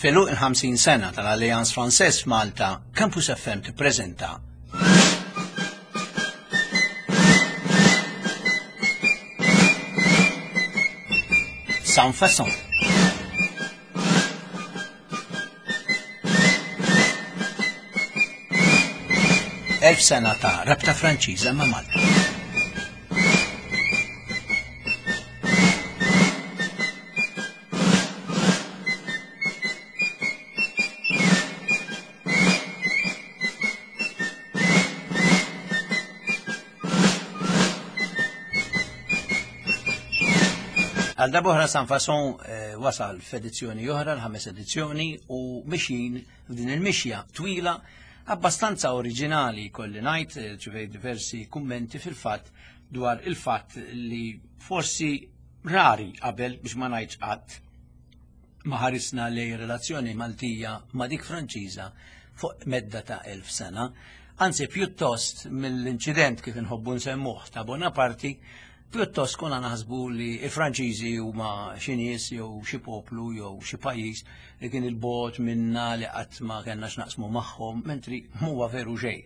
F'għeluq il-50 sena tal-Alliance Française f'Malta, Campus FM tippreżenta Sans Façon. Elf sena ta' rabta Franċiża ma' Malta. Għal darbohra San Fason eh, wasal f'edizzjoni oħra, l-ħames edizzjoni, u mixin f'din il-mixja twila abbastanza oriġinali kolli ngħid, eh, ċivej diversi kummenti fil-fatt dwar il-fatt li forsi rari qabel biex ma ngħidx qatt ma ħarisna lej relazzjoni Maltija ma' dik Franċiża fuq medda ta' elf sena. Anzi, pjuttost mill-inċident kif inħobbu nsemmuh ta' Bonaparti, pjuttost konna naħsbu li il-Franċiżi huma xi nies jew xi poplu jew xi pajjiż li kien il-bot minna li qatt ma kellna x'naqsmu magħhom, mentri m'huwa veru xejn.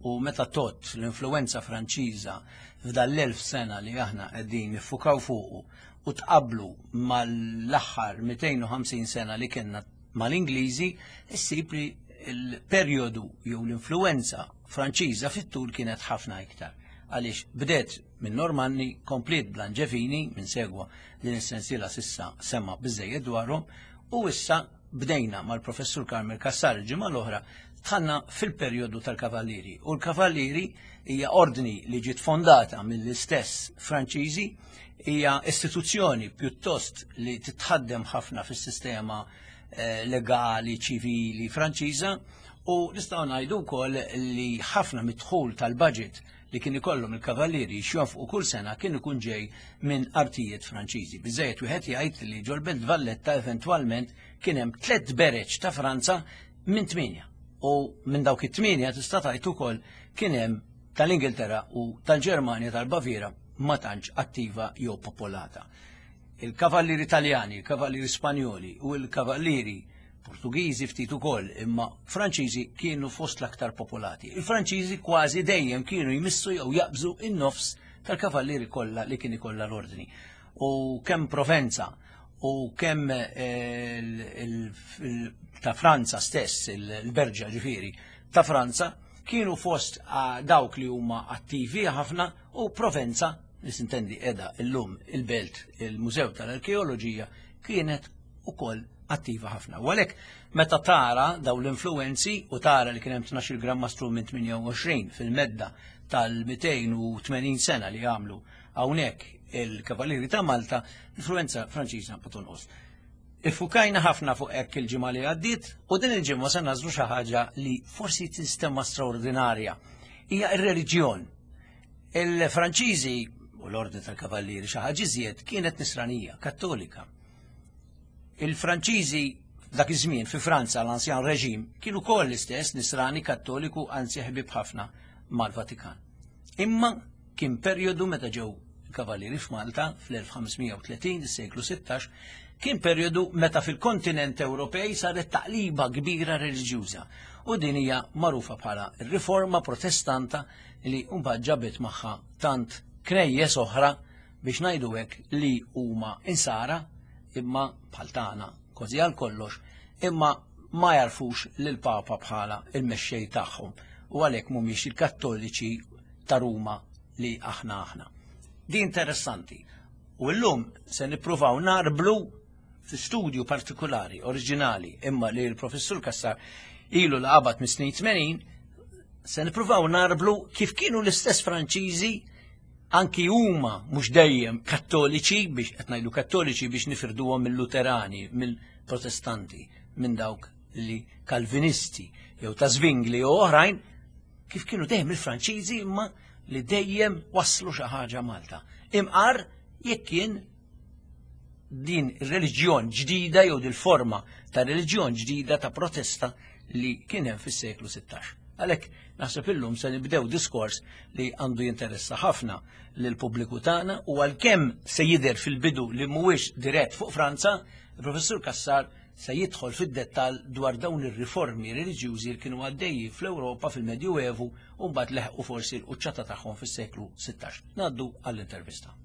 U meta tot l-influenza Franċiża f'dan l-elf sena li aħna qegħdin niffukaw fuqu u tqablu mal-aħħar 250 sena li kellna mal-Ingliżi, issib li l-perjodu jew l-influenza Franċiża fit-tul kienet ħafna iktar. Għaliex bdet minn Normanni, kompliet bl-Anġevini, minn segwa din is-sensiela sissa sema biżejjed dwarhom, u issa bdejna mal-professur Carmel Cassar il-ġimgħa l-oħra dħalna fil-perjodu tal-Kavallieri. U l-Kavallieri hija ordni li ġiet fondata mill-istess Franċiżi, hija istituzzjoni pjuttost li titħaddem ħafna fis-sistema eh, legali ċivili Franċiża u nistgħu ngħidu wkoll li ħafna mid-dħul tal-budget li kien ikollhom il-kavallieri xjonfqu kull sena kien ikun ġej minn artijiet Franċiżi. Biżejjed wieħed jgħid li ġol-Belt Valletta eventwalment kien hemm tliet bereġ ta' Franza minn tmienja. U minn dawk it-tmienja tista' tgħid ukoll kien hemm tal-Ingilterra u tal-Ġermanja tal-Baviera ma tantx attiva jew popolata. Il-kavallieri Taljani, il-kavallieri Spanjoli u l-kavallieri Portugiżi ftit ukoll, imma Franċiżi kienu fost l-aktar popolati. Il-Franċiżi kważi dejjem kienu jmissu jew jaqbżu in-nofs tal-kavallieri kollha li kien ikollha l-ordni. U kemm Provenza u kemm eh, ta' Franza stess, il-Berġa ġifieri, ta' Franza, kienu fost ah, dawk li huma attivi ħafna u Provenza, li sintendi edha illum il-belt il-Mużew tal-Arkeoloġija, kienet ukoll attiva ħafna. U għalhekk meta tara daw l-influenzi u tara li kien hemm 12 gram mastru minn 28 fil-medda tal-280 sena li għamlu hawnhekk il-Kavallieri ta' Malta, influenza Franċiża ma tonqos. Iffukajna ħafna fuq hekk il-ġimgħa li għaddiet u din il-ġimgħa se nażlu xi ħaġa li forsi tinstema' straordinarja. Hija r-reliġjon. Il-Franċiżi u l-Ordni tal-Kavallieri xi ħaġa iżjed kienet nisranija, kattolika. Il-Franċiżi dak iż-żmien fi Franza l-Ansjan Reġim kienu koll l-istess nisrani kattoliku anzi ħbib ħafna mal-Vatikan. Imma Kien perjodu meta ġew il-Kavallieri f'Malta fl-1530, is-seklu 16, kien perjodu meta fil-kontinent Ewropej saret taqliba kbira reliġjuża u din hija magħrufa bħala r-Riforma Protestanta li mbagħad ġabet magħha tant knejjes oħra biex ngħidu hekk li huma insara imma bħal tagħna kważi għal kollox imma ma jarfux lill-Papa bħala il-mexxej tagħhom u għalhekk mhumiex il-Kattoliċi ta' Ruma li aħna aħna. Di interessanti. U llum se nippruvaw narblu fi studju partikolari, oriġinali, imma li l-professur Kassar ilu l qabad mis snin 80, se nippruvaw narblu kif kienu l-istess Franċiżi anki huma mhux dejjem kattoliċi biex qed ngħidu kattoliċi biex nifirduhom mill-Luterani, mill-Protestanti, minn dawk li Kalvinisti jew ta' Zwingli jew oħrajn kif kienu dejjem il-Franċiżi imma li dejjem waslu xi ħaġa Malta. Imqar jekk kien din ir-reliġjon ġdida jew dil-forma ta' reliġjon ġdida ta' protesta li kien hemm fis-seklu 16. Għalhekk naħseb illum se nibdew diskors li għandu jinteressa ħafna lil pubbliku tagħna u għalkemm se jidher fil-bidu li mhuwiex dirett fuq Franza, il-Professur Kassar se jidħol fid-dettall dwar dawn ir-riformi reliġjużi li kienu għaddejjin fl-Ewropa fil-Medjuevu u mbagħad leħqu forsi l-quċċata tagħhom fis-seklu 16. Ngħaddu għall-intervista.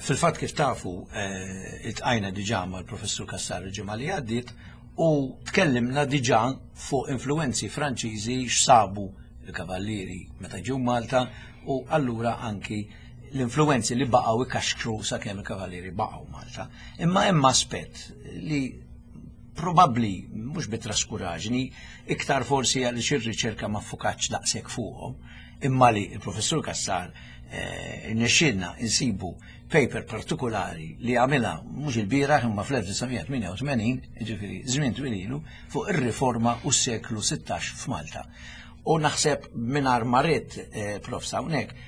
Fil-fatt kif tafu, eh, iltqajna diġà mal-Professur Cassar il-ġimgħa li għaddiet u tkellimna diġà fuq influenzi Franċiżi x'sabu l-kavallieri meta ġew Malta u allura anki l-influenzi li baqgħu ikaxkru sakemm il-kavallieri baqgħu Malta. Imma hemm aspett li probabbli mhux bi traskuraġni, iktar forsi għaliex ir-riċerka ma ffukatx daqshekk fuqhom, imma li il-professur Cassar eh, nexxielna insibu paper partikolari li għamilha mhux il-bieraħ imma fl-1988, jiġifieri żmien twil ilu, fuq ir-riforma u s-seklu 16 f'Malta. U naħseb mingħajr ma ridt eh, prof hawnhekk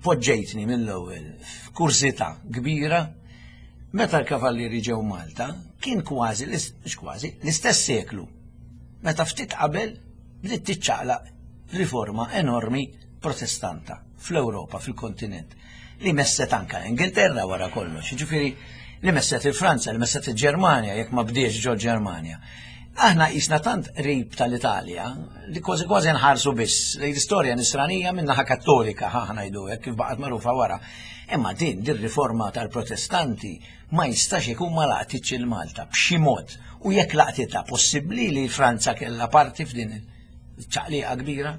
poġġejtni mill-ewwel f'kurżità kbira meta l-kavallieri ġew Malta kien kważi mhux kważi l-istess seklu meta ftit qabel bdiet tiċċaqlaq riforma enormi protestanta fl-Ewropa, fil-kontinent, li messet anka l-Ingilterra wara kollox, jiġifieri li messet il-Franza, li messet il-Ġermanja, jekk ma bdiex ġol Ġermanja. Aħna qisna tant qrib tal-Italja li kważi kważi nħarsu biss lejn l-istorja nisranija min-naħa kattolika ħa ngħidu hekk kif baqgħet magħrufa wara. Imma din din riforma tal-Protestanti ma jistax ikun ma laqtitx il-Malta b'xi mod. U jekk laqtitha possibbli li Franza kellha parti f'din ċaqliqa kbira?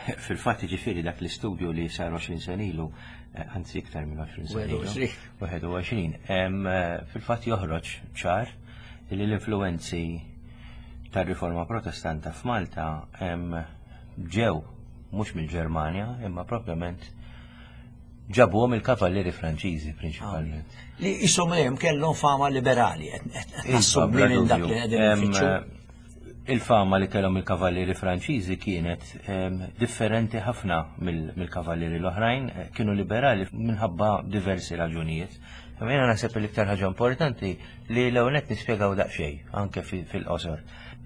Fil-fatt ġifieri dak l-istudju li sar 20 sena ilu, eh, anzi iktar minn 20 sena ilu, 21, eh, fil-fatt joħroġ ċar li l-influenzi tar-riforma protestanta f'Malta ġew mhux mill-Ġermanja imma propjament ġabuhom il-kavallieri Franċiżi prinċipalment. Li jisom hemm kellhom fama liberali qed iva, minn dak li qegħdin Il-fama li kellhom il-kavallieri Franċiżi kienet differenti ħafna mill-kavallieri l-oħrajn, eh, kienu liberali minħabba diversi raġunijiet. Imma jiena naħseb l-iktar ħaġa importanti li l-ewwel nett nispjegaw daqsxejn anke fil-qosor.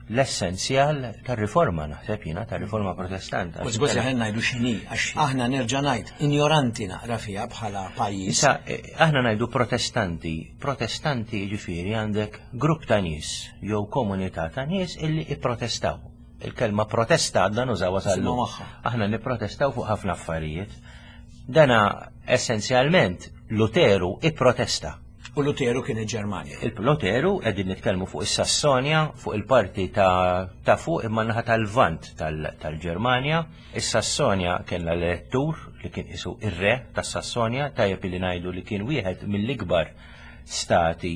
L-essenzjal tar-riforma naħseb jiena tar-riforma protestanta. U żgur aħna ngħidu x'inhi għax aħna nerġa' ngħid injoranti naqra fiha bħala pajjiż. Issa eh, aħna ngħidu protestanti, protestanti jiġifieri għandek grupp ta' nies jew komunità ta' nies illi ipprotestaw. Il-kelma protesta għadna nużawha tal-lum. Aħna nipprotestaw fuq ħafna affarijiet. Dana essenzjalment Luteru ipprotesta. U Luteru kien il-Ġermanja. Il-Luteru qegħdin nitkellmu fuq is-Sassonja, fuq il-parti ta', ta fuq imma naħa tal-Lvant tal-Ġermanja. Is-Sassonja kellha l-elettur li kien isu ir-re tas-Sassonja, tajjeb li ngħidu li kien wieħed mill-ikbar stati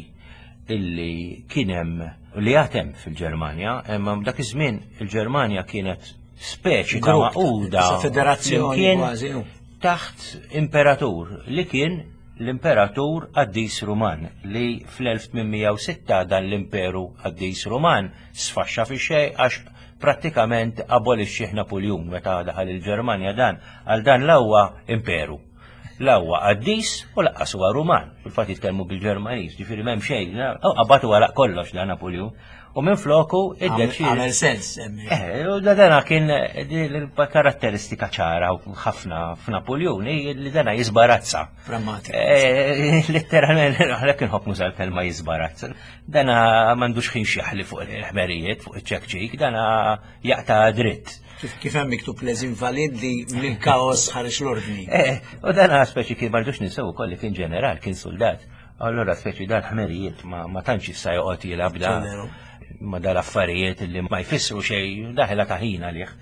illi kien hemm li għad hemm fil-Ġermanja, imma dak iż-żmien il-Ġermanja kienet speċi ta' maquda federazzjoni kważi taħt imperatur li kien l-imperatur qaddis Ruman li fl-1806 dan l-imperu qaddis Ruman sfaxxa fi xejn għax prattikament abolixxih Napuljun meta daħal il-Ġermanja dan għal dan l-ewwa imperu. La huwa qaddis u laqqas huwa Ruman. Fil-fatt jitkellmu bil-Ġermaniż, ġifieri m'hemm xejn, qabad u għalaq kollox da Napuljun. U minn floku id-deċi. Għamel sens. Eh, u da dana kien karatteristika ċara ħafna f'Napuljun li dana jisbarazza. Pragmatika. Eh, letteralment, għalhekk inħobb nuża l-kelma jisbarazza. Dana m'għandux ħin xjaħli fuq il-ħmerijiet, fuq iċ-ċekċik, dana jaqta' dritt. Kif hemm miktub les invalid li mill-kaos ħareġ l-ordni. Eh, u dan speċi kien mardux ninsew ukoll li kien ġeneral, kien soldat. Allora speċi dan ħmerijiet ma tantx issa joqgħod jilgħab da ma dal-affarijiet li ma jfissru xejn daħla ta' ħin għalih.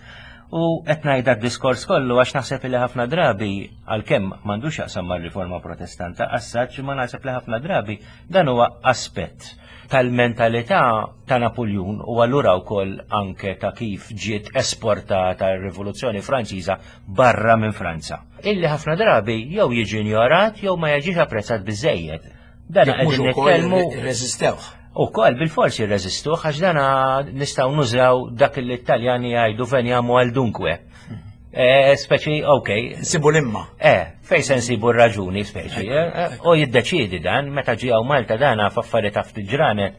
U qed ngħid diskors kollu għax naħseb li ħafna drabi għalkemm m'għandux jaqsam mar-riforma protestanta, assaġġ ma naħseb li ħafna drabi dan huwa aspett tal-mentalità ta' Napoljun u allura wkoll anke ta' kif ġiet esportata r-Rivoluzzjoni Franċiża barra minn Franza. Illi ħafna drabi jew jiġi injorat jew ma jiġix apprezzat biżejjed. Dan qegħdin nitkellmu reżistewh. Ukoll bil-forsi rreżistuh għax dana nistgħu nużaw dak li t-Taljani jgħidu veniamo al dunque. Eh, speċi, ok. Nsibu l-imma. Eh, fej se nsibu r-raġuni, speċi. Eh, u jiddeċiedi dan, meta ġi hawn Malta dana f'affarijiet ta' ftit ġranet,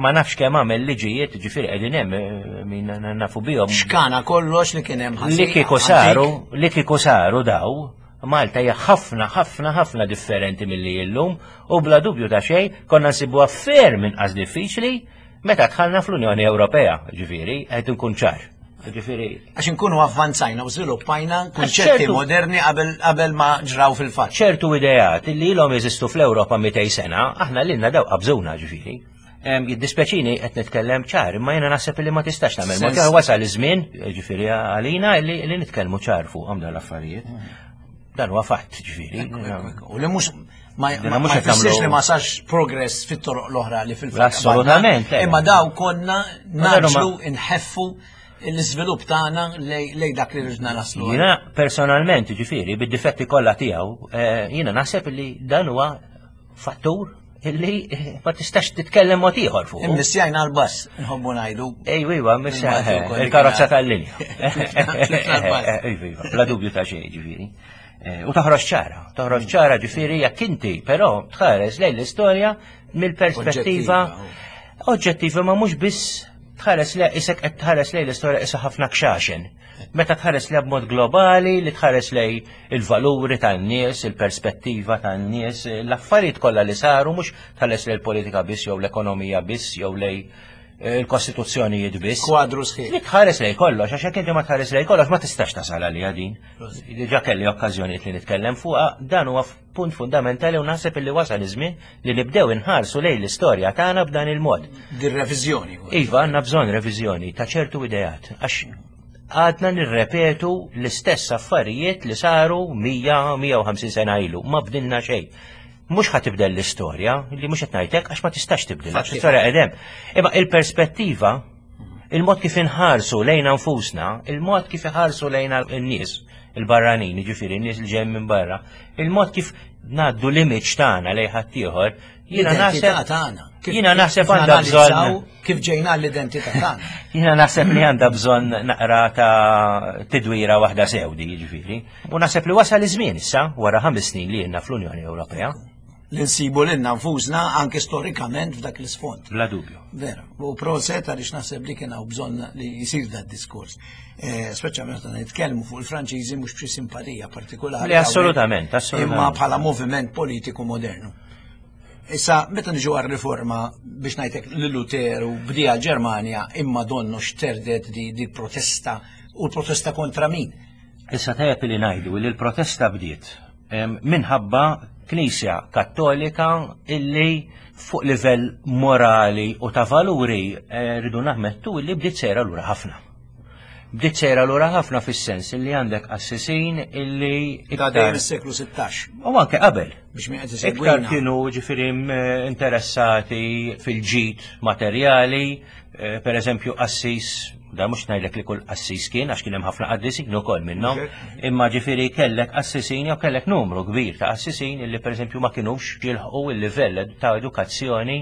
ma nafx kemm għamel liġijiet, ġifieri qegħdin hemm eh, min nafu bihom. Xkana kollox li kien hemm ħażin. Li kieku saru, li kieku saru daw, Malta hija ħafna ħafna ħafna differenti milli illum u bla dubju ta' xejn konna nsibuha ferm inqas diffiċli meta dħalna fl-Unjoni Ewropea, ġifieri, qed inkun ċar. Ġifieri. Għax inkunu avvanzajna u żviluppajna kunċetti moderni qabel ma ġraw fil-fatt. ċertu ideat li ilhom jeżistu fl-Ewropa 200 sena, aħna lilna daw qabżuna ġifieri. Jiddispjaċini qed nitkellem ċar, imma jiena naħseb li ma tistax tagħmel. Ma kien wasal iż-żmien, ġifieri għalina li nitkellmu ċar fuqhom dawn l-affarijiet. Dan huwa fatt, ġifieri. U li mhux ma jfissirx li ma sarx progress fit-toroq l-oħra li fil-fatt. Assolutament. Imma daw konna naġlu inħeffu l-iżvilupp tagħna lej dak li rridna naslu. Jiena personalment, ġifieri, bid-difetti kollha tiegħu, eh, jiena naħseb li dan huwa fattur illi ma tistax titkellem mod ieħor fuq. Immissjajna l-bass, nħobbu ngħidu. Ejwa, iva, missjajna eh, il-karozza tal-linja. Ejwa, iva, bla dubju ta' xejn, ġifieri. Eh, u toħroġ ċara, toħroġ ċara ġifieri jekk inti, però tħares lejn l-istorja mill-perspettiva oġġettiva ma mhux biss tħares le isek qed tħares lejn l-istorja isa ħafna kxaxen. Meta tħares li b'mod globali, li tħares lej il-valuri tan-nies, il-perspettiva tan-nies, l-affarijiet kollha li saru mhux tħares lej il-politika biss jew l-ekonomija biss jew lej eh, il-kostituzzjonijiet biss. Kwadru sħiħ. Li tħares lej kollox, għax jekk inti ma tħares lej kollox ma tistax tasal għalija din. Diġà kelli okkażjonijiet li nitkellem fuqha, dan huwa punt fundamentali u naħseb illi wasal iż-żmien li nibdew inħarsu lejn l-istorja tagħna b'dan il-mod. Din reviżjoni. Iva, għandna bżonn reviżjoni ta' ċertu ideat, għax għadna nirrepetu l-istess affarijiet li saru 100-150 sena ilu, ma bdilna xejn. Mhux ħa tibdel l-istorja, li mhux qed ngħidlek għax ma tistax tibdel, għax l-istorja qedem. Imma il-perspettiva, il-mod kif inħarsu lejna nfusna, il-mod kif iħarsu lejna n-nies, il-barranin, jiġifieri n-nies li ġejjin minn barra, il-mod kif ngħaddu l-image tagħna lejn ħaddieħor, jiena naħseb tagħna. Jiena naħseb għandha bżonn kif ġejna l-identità tagħna. Jiena naħseb li għandha bżonn naqra ta' tidwira waħda sewdi, jiġifieri. U naħseb li wasal iż-żmien issa wara ħames snin li jenna fl-Unjoni Ewropea li nsibu lilna nfusna anke storikament f'dak l-isfond. Bla dubju. Vera, u proset għaliex naħseb li kien hawn bżonn li jsir dat diskors. Eh, speċjalment meta nitkellmu fuq il-Franċiżi mhux b'xi simpatija partikolari. Li assolutament, assolutament. Imma bħala moviment politiku modernu. Issa, meta niġu għar-riforma biex ngħidlek li Luteru bdija l-Ġermanja imma donnu xterdet di, di protesta u l-protesta kontra min? Issa tajjeb li ngħidu li l-protesta bdiet minħabba Knisja Kattolika illi fuq livell morali u ta' valuri eh, rridu naħmettu illi bdiet sejra lura ħafna. Bdiet sejra lura ħafna fis-sens illi għandek qassisin illi Ta' dejjem is-seklu 16. U anke qabel. Biex min qed Iktar kienu ġifieri interessati fil-ġid materjali, eh, per eżempju qassis da mhux ngħidlek li kull qassis kien għax kien hemm ħafna qaddisin ukoll minnhom, imma ġifieri kellek qassisin jew kellek numru kbir ta' qassisin illi pereżempju ma kinux jilħqu il-livell ta' edukazzjoni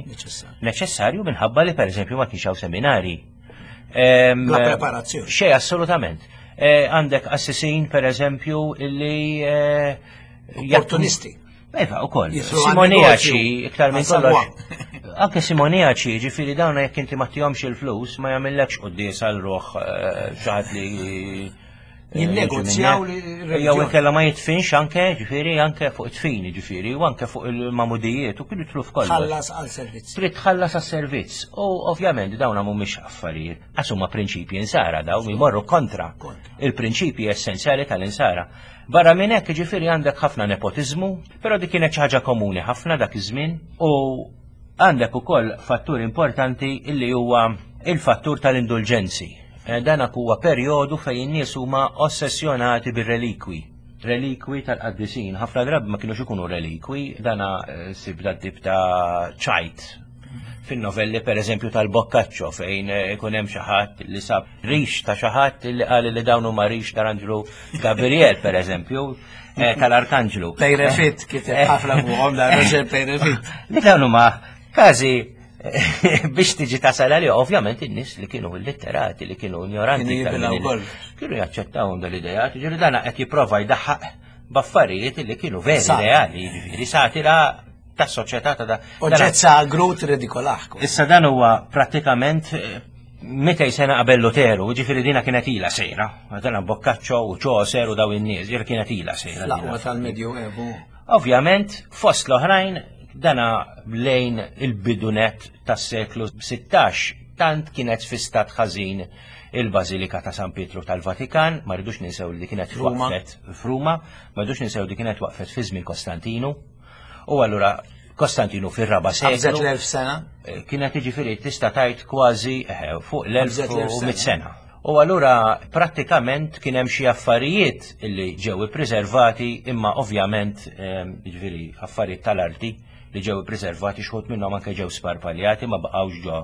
neċessarju minħabba li pereżempju ma kienx hawn seminari. La preparazzjoni. Xej, assolutament. Eh, għandek qassisin pereżempju illi eh, opportunisti. Eva, u koll. Simoniaċi, iktar minn kollox. Anke simoniaċi, ġifiri dawna jekk inti ma tihomx il-flus, ma jagħmillekx quddies għal ruħ eh, xaħat li eh, jinnegozjaw li jew inkella ma jitfinx anke, ġifieri anke fuq it-tfin, ġifieri, u anke fuq il-mamudijiet u kienu jitlu f'kollox. Tħallas għal servizz. Trid tħallas għal servizz. U ovvjament dawna mhumiex affarijiet, għax huma prinċipji insara dawn jmorru kontra il-prinċipji essenzjali tal-insara. Barra minn hekk, jiġifieri għandek ħafna nepotiżmu, però dik kienet xi ħaġa komuni ħafna dak iż-żmien u għandek ukoll fattur importanti illi huwa il-fattur tal-indulġenzi. Eh, dan huwa perjodu fejn in-nies huma ossessjonati bir-relikwi. Relikwi tal-qaddisin. Ħafna drabi ma kienux ikunu relikwi, dana eh, sib tip ta' ċajt fin-novelli per eżempju tal-Boccaccio fejn eh, ikun hemm xi ħadd li sab rix ta' xi ħadd li qal li dawn huma rix tal-Anġlu Gabriel per eżempju eh, tal-Arkanġlu. Pejrefit kiteb ħafna fuqhom da Roger Pejrefit. Li dawn huma każi eh, biex tiġi tasal għalih, ovvjament in-nies li kienu illitterati, li kienu ignoranti. Kienu jaċċettaw dal-idejat, ġifieri dana qed jipprova jdaħħaq b'affarijiet li kienu veri reali, jiġifieri satira tas soċjetà ta' da. Oġġett sagru tirridikolaħ. Issa dan huwa prattikament eh, 200 sena qabel Luteru, ġifieri dina kienet ila sejra. Dana Boccaccio u Chaucer u daw in-nies, ġifieri kienet ila sejra. L-aqwa tal-Medju Evu. Ovvjament, fost l-oħrajn, dana lejn il-bidunet tas-seklu 16 tant kienet fi stat ħażin il-Bażilika ta' San Pietru tal-Vatikan, ma rridux ninsew li kienet waqfet f'Ruma, ma rridux ninsew li kienet waqfet fi żmien Kostantinu. U allura Kostantinu fir-raba' seklu. Qabżet l-elf sena? Eh, kienet jiġifieri tista' tgħid kważi eh, fuq l-1100 sena. U allura prattikament kien hemm xi affarijiet li ġew ippreservati imma ovvjament eh, jiġifieri affarijiet tal-arti li ġew ippreservati xħut minnhom anke ġew sparpaljati ma baqgħux ġo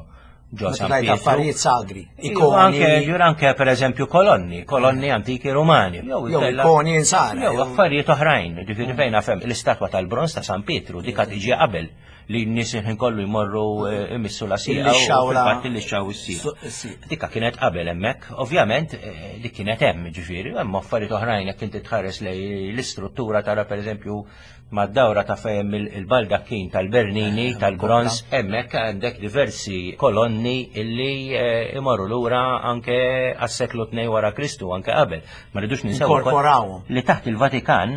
ġo San Pietro. affarijiet sagri, ikoni. Anke, ġur anke per eżempju kolonni, kolonni antiki rumani. Jew ikoni insara. Jew affarijiet oħrajn, ġifieri mm. fejn fem l-istatwa tal-bronz ta' San Pietru dik tiġi qabel li n-nies ħin kollu jmorru eh, imissu la sija u fil-fatt li xaw is-sija. Dikka kienet qabel hemmhekk, ovvjament eh, dik kienet hemm ġifieri, hemm affarijiet oħrajn jekk inti tħares lej l-istruttura tara pereżempju Mad-dawra ta' fejn il-baldakkin tal-Bernini eh, tal-bronz, hemmhekk għandek diversi kolonni illi eh, imorru lura anke għas-seklu 2 wara Kristu, anke qabel. Ma rridux ninsew li taħt il-Vatikan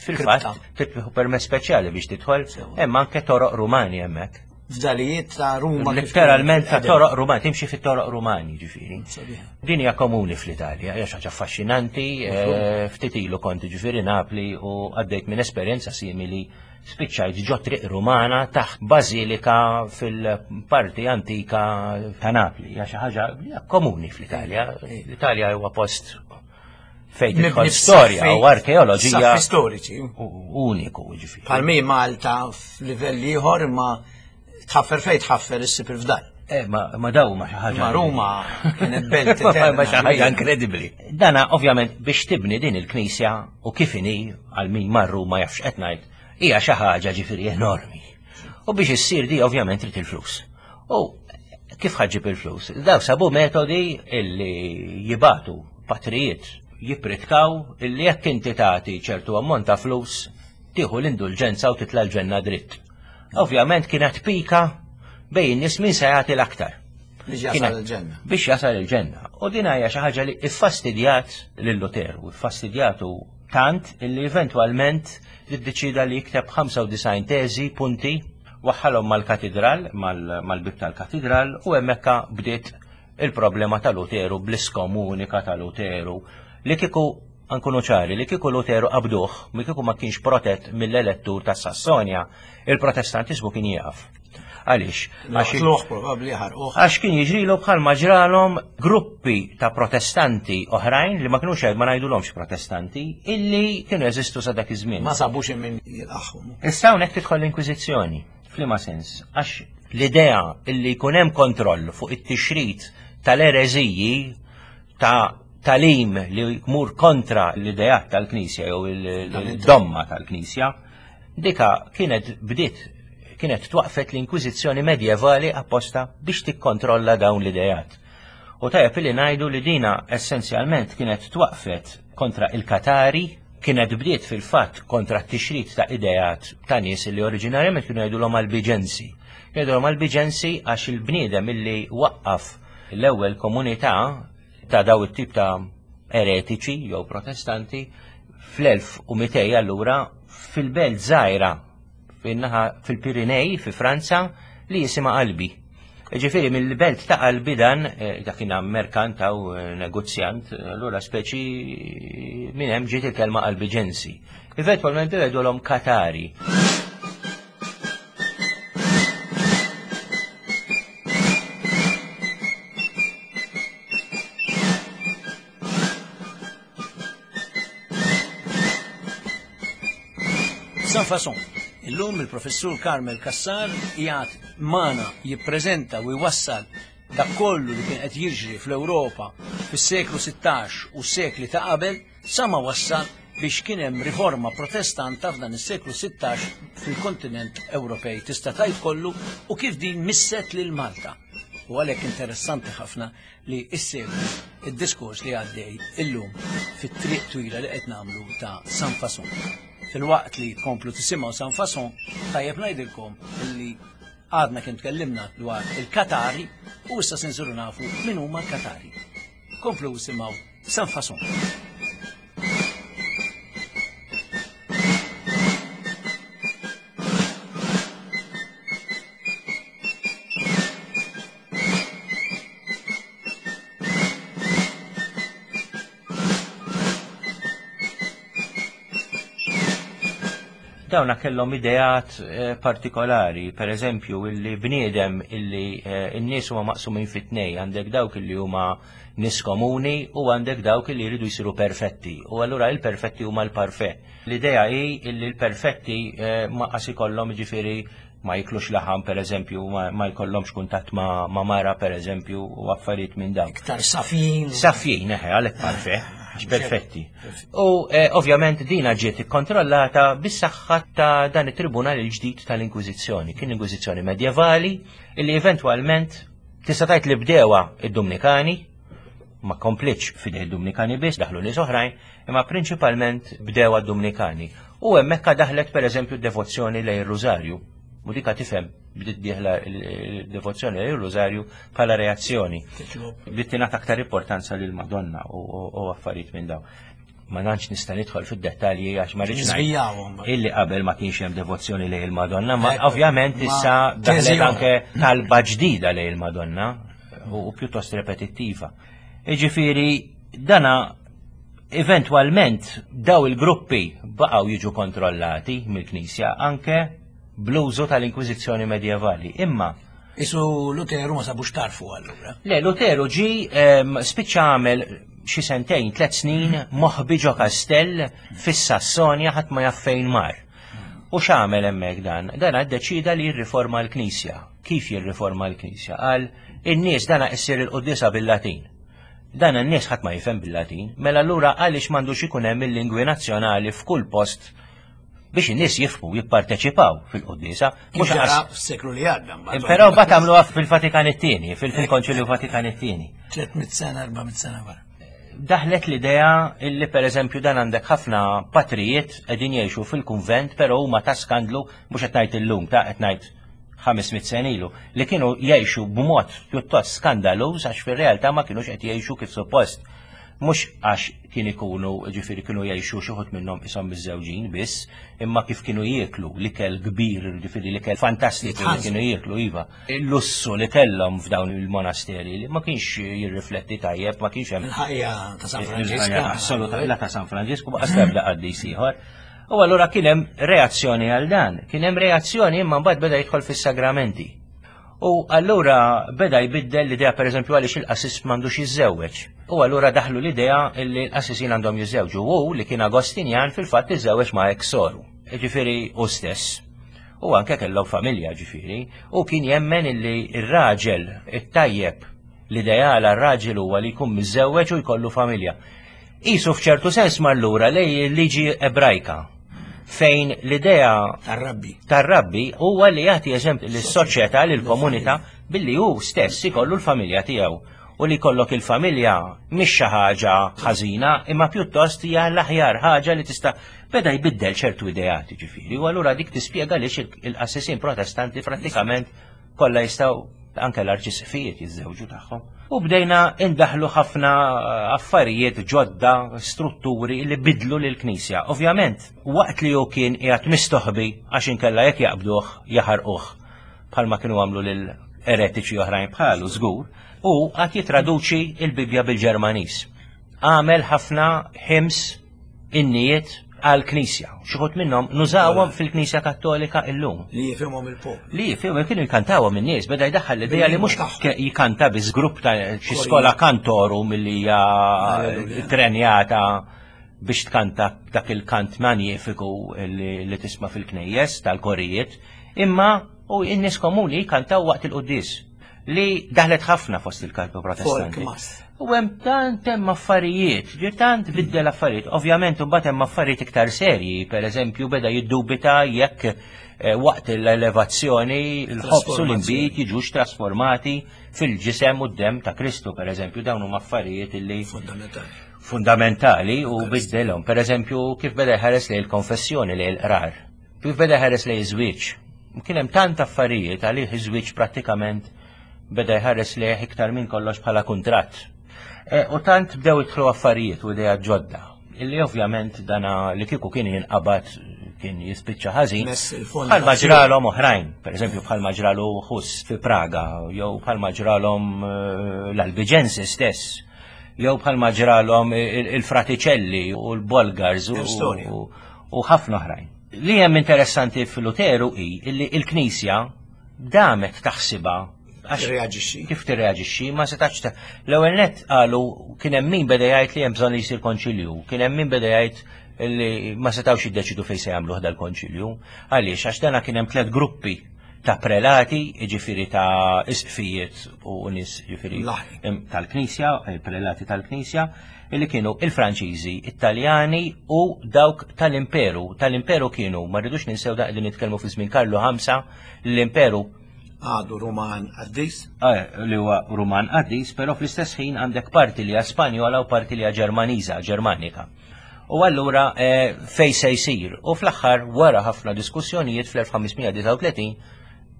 fil-fatt titħu permess speċjali biex tidħol, hemm anke toroq Rumani hemmhekk. Fdalijiet ta' Ruma. Letteralment ta' toroq Rumani, timxi fit-toroq Rumani ġifieri. Din hija komuni fl-Italja, hija xi ħaġa affaxxinanti, eh, ftit ilu kont ġifieri Napli u għaddejt minn esperjenza simili spiċċajt ġo triq Rumana taħt bażilika fil-parti antika ta' Napli. Hija xi ħaġa komuni fl-Italja. L-Italja huwa post fejn tidħol storja u arkeoloġija. storiċi. Uniku, ġifieri. Palmi Malta f'livell ieħor imma tħaffer fejn tħaffer issib il-fdal. Eh, ma, ma daw ma xi ħaġa. Ma Ruma kienet belt. Ma xi ħaġa inkredibbli. Dana ovvjament biex tibni din il-knisja u kif inhi għal min marru ma jafx qed ngħid, hija xi ħaġa ġifieri enormi. U biex issir di ovvjament trid il-flus. U kif ħaġib il-flus? Daw sabu metodi illi jibatu patrijiet jipritkaw illi jekk inti tagħti ċertu ammont ta' flus tieħu l-indulġenza u titla' l-ġenna dritt. Ovvjament kienet pika bejn nies min se jagħti l-aktar. Biex jasal il-ġenna. Biex jasal il-ġenna. U din hija xi ħaġa li iffastidjat lil Luteru, iffastidjatu tant illi eventwalment iddeċida li jikteb 95 teżi punti waħħalhom mal-katidral, mal-bib tal-katidral u hemmhekk bdiet il-problema ta' Luteru bl-iskomunika ta' Luteru li kieku nkunu ċari li kieku Luteru qabduh, mi kieku ma kienx protett mill-elettur ta' Sassonja, il-Protestantiżmu kien jieqaf. Għaliex? Għax kien jiġrilu bħal ma ġralhom gruppi ta' protestanti oħrajn li ma kinux ma ngħidulhomx protestanti illi kienu jeżistu sa dak iż-żmien. Ma sabux min jilqaħħom. Issa hawnhekk tidħol l-Inkwiżizzjoni. F'liema sens? Għax l-idea illi jkun hemm kontroll fuq it-tixrid tal-ereżiji ta' talim li jmur kontra l-ideat tal-Knisja jew il-domma tal-Knisja, Dika kienet bdiet kienet twaqfet l-Inkwiżizzjoni medjevali apposta biex tikkontrolla dawn l-idejat. U tajjeb li ngħidu li dina essenzjalment kienet twaqfet kontra il-Katari, kienet bdiet fil-fatt kontra t-tixrid ta' idejat ta' nies li oriġinarjament kienu jgħidulhom Albiġensi. Jgħidulhom Albiġensi għax il-bniedem illi waqqaf l-ewwel komunità ta' daw it-tip ta' eretiċi jew protestanti fl-1200 allura fil-belt żgħira fin-naħa fil-Pirinej fi Franza li jisimha Albi. Ġifieri mill-belt ta' Albi dan eh, dak kien merkant aw eh, negozjant, allura speċi minn hemm ġiet il-kelma Albiġensi. Eventwalment jgħidulhom Katari. Sans Façon. Illum il-professur Carmel Cassar qiegħed magħna jippreżenta u jwassal dak kollu li kien qed jiġri fl-Ewropa fis-seklu 16 u s-sekli ta' qabel sa ma wassal biex kien hemm riforma protestanta f'dan is-seklu 16 fil-kontinent Ewropej tista' tgħid kollu u kif din misset lil Malta. U għalhekk interessanti ħafna li issegwu id-diskors li għaddej illum fit-triq twila li qed nagħmlu ta' San Fason. Filwaqt li tkomplu tisimgħu San Fason, tajjeb ngħidilkom li għadna kien tkellimna dwar il-Katari u issa se nsiru nafu min huma l-Katari. Komplu simgħu San Fason. Dawna kellhom ideat eh, partikolari, per eżempju, illi bniedem illi eh, n-nies huma maqsumin fit-tnej, għandek dawk illi huma nies komuni u għandek dawk illi jridu jsiru perfetti. U allura il-perfetti huma l-parfe. L-idea hi illi l-perfetti eh, ma qas ikollhom ġifieri ma jiklux laħam per eżempju, ma jkollhomx kuntatt ma, ma mara per eżempju u affarijiet minn dawn. Iktar safjin. Safjin, eħe, għalhekk parfe, għax perfetti. U eh, ovvjament dina ġiet ikkontrollata bis-saħħa ta' dan it-tribunal il-ġdid tal-Inkwiżizzjoni. Kien Inkwiżizzjoni medjevali illi eventwalment tista' tgħid li bdewa id-Dumnikani, ma komplitx fidej id-Dumnikani biss, daħlu nies oħrajn, imma prinċipalment bdew għad-Dumnikani. U hemmhekk daħlet pereżempju d-devozzjoni lejn ir-Rużarju. U dika tifhem bdiet dieħla d-devozzjoni lejn ir-Rużarju bħala reazzjoni. Bdiet tingħata aktar importanza lil Madonna u affarijiet minn dawn. Ma nantx nista' nidħol fid-dettalji għax ma rridx illi qabel ma kienx hemm devozzjoni lejn il-Madonna, ma ovvjament issa daħlet anke talba ġdida lejn il-Madonna u pjuttost repetittiva. Jiġifieri dana Eventwalment daw il-gruppi baqgħu jiġu kontrollati mill-Knisja anke bl-użu tal-Inkwiżizzjoni medjevali. Imma Isu Luteru ma sabux tarfu allura. Le, Luteru ġi spiċċa għamel xi sentejn, tliet snin moħbi ġo kastell fis-Sassonja ħadd ma jaf fejn mar. U x'għamel hemmhekk dan? Dan ddeċida li jirriforma l-Knisja. Kif jirriforma l-Knisja? Qal in-nies dana issir il-quddiesa bil-Latin. Dan in-nies ħadd ma jifhem bil-Latin, mela allura għaliex m'għandux ikun hemm il-lingwi nazzjonali f'kull post biex in-nies jifhmu jipparteċipaw fil-quddiesa. Mhux ġara fis-seklu li għadda. Però mbagħad għamluha fil-Vatikan it-tieni, fil-Konċilju Vatikan it-tieni. 300 sena, 400 sena wara. Daħlet l-idea illi pereżempju dan għandek ħafna patrijiet qegħdin jgħixu fil-kunvent, però huma ta' skandlu mhux qed ngħid illum ta' qed ngħid 500 sena ilu, li kienu jgħixu b'mod pjuttost skandaluż għax fir-realtà ma kinux qed jgħixu kif suppost. Mhux għax kien ikunu, ġifieri kienu jgħixu xi wħud minnhom ishom miżżewġin biss, imma kif kienu jieklu l-ikel kbir, ġifieri l-ikel fantastiku li kienu jieklu iva. Il-lussu li kellhom f'dawn il-monasteri li ma kienx jirrifletti tajjeb, ma kienx hemm. Il-ħajja ta' San Franġisku. Assolutament ta' San Franġisku baqa' sebda qaddis ieħor. U allura kien hemm reazzjoni għal dan. Kien hemm reazzjoni imma mbagħad beda jidħol fis-sagramenti. U allura beda jbiddel l-idea pereżempju għaliex il-qassis m'għandux jiżżewweġ. U allura daħlu l-idea li l-qassisin għandhom jiżżewġu. U li kien Agostinjan fil-fatt iżżewweġ ma' eksoru. Ġifieri u stess. U anke kellhom familja ġifieri. U kien jemmen illi r-raġel it-tajjeb l-ideal għar-raġel huwa li jkun miżżewweġ u jkollu familja. Qisu f'ċertu sens mar lura lej il-liġi Ebrajka fejn l-idea tar-rabbi tar-rabbi huwa li jagħti eżempju lis-soċjetà lill-komunità billi hu stess ikollu l-familja tiegħu u li jkollok il-familja mhix xi ħaġa ħażina imma pjuttost hija l-aħjar ħaġa li tista' beda jbiddel ċertu ideat ġifieri u allura dik tispjega għaliex il-qassisin protestanti prattikament kollha jistgħu anke l-arċisqfijiet jiżżewġu tagħhom. U bdejna indaħlu ħafna eh, affarijiet ġodda, strutturi li bidlu lill-Knisja. Ovvjament, waqt li hu kien qiegħed mistoħbi għax inkella jekk jaqbduh jaħarquh bħalma kienu għamlu lil eretiċi oħrajn bħalu żgur, u għad jitraduċi il-Bibja bil-Ġermaniż. Għamel ħafna ħims innijiet għal-Knisja. Xuħut minnhom nużawhom fil-Knisja Kattolika illum. Li jifhimhom il-poplu. Li jifhimhom kienu jkantawhom in-nies, beda jdaħħal l-idea li mhux jikanta biss grupp ta' xi skola kantoru milli hija trenjata. biex tkanta dak il-kant manjifiku li tisma' fil-knejjes tal-korijiet, imma u n-nies komuni jkantaw waqt il-quddies li daħlet ħafna fost il-kalpu protestanti. U hemm tant hemm affarijiet, ġi tant biddel affarijiet. Ovvjament imbagħad hemm affarijiet iktar serji, pereżempju beda jiddubita jekk eh, waqt l-elevazzjoni l-ħobż u l-inbid jiġux trasformati fil-ġisem u d-dem ta' Kristu, pereżempju, dawn huma affarijiet illi fundamentali. Fundamentali u biddelhom. Pereżempju, kif beda jħares lejn il-konfessjoni lejn il-qrar, kif beda jħares lejn iż-żwieġ. Kien hemm tant affarijiet għalih iż-żwieġ prattikament beda jħares lejh iktar minn kollox bħala kuntratt. E, u tant bdew idħlu affarijiet u idea ġodda, illi ovvjament dana li kieku kien jinqabad kien jispiċċa ħażin. Bħalma ġralhom oħrajn, pereżempju bħalma ġralu Hus fi Praga, jew bħalma ġralhom eh, l-Albigensi stess, jew bħalma ġralhom il-Fraticelli u l-Bolgars u ħafna oħrajn. Li hemm interessanti fil-Luteru hi illi il-Knisja damet taħsibha Tirreaġixxi. Kif tirreaġixxi ma setax l-ewwel nett qalu kien hemm min beda jgħid li hemm bżonn li jsir konċilju, kien hemm min beda jgħid li ma setgħux jiddeċidu fejn se jagħmluh dal-konċilju. Għaliex għax dana kien hemm tliet gruppi ta' prelati, jiġifieri ta' isqfijiet u nies jiġifieri tal-Knisja, il-prelati tal-Knisja, li kienu il-Franċiżi, it-Taljani u dawk tal-Imperu. Tal-Imperu kienu, ma rridux ninsew da qegħdin nitkellmu fi żmien Karlu Ħamsa, l-Imperu għadu Ruman qaddis. Eh, li huwa Ruman qaddis, però fl-istess ħin għandek parti li hija Spanjola u parti li hija Ġermaniża, Ġermanika. U allura eh, fej se jsir. U fl-aħħar wara ħafna diskussjonijiet fl-1539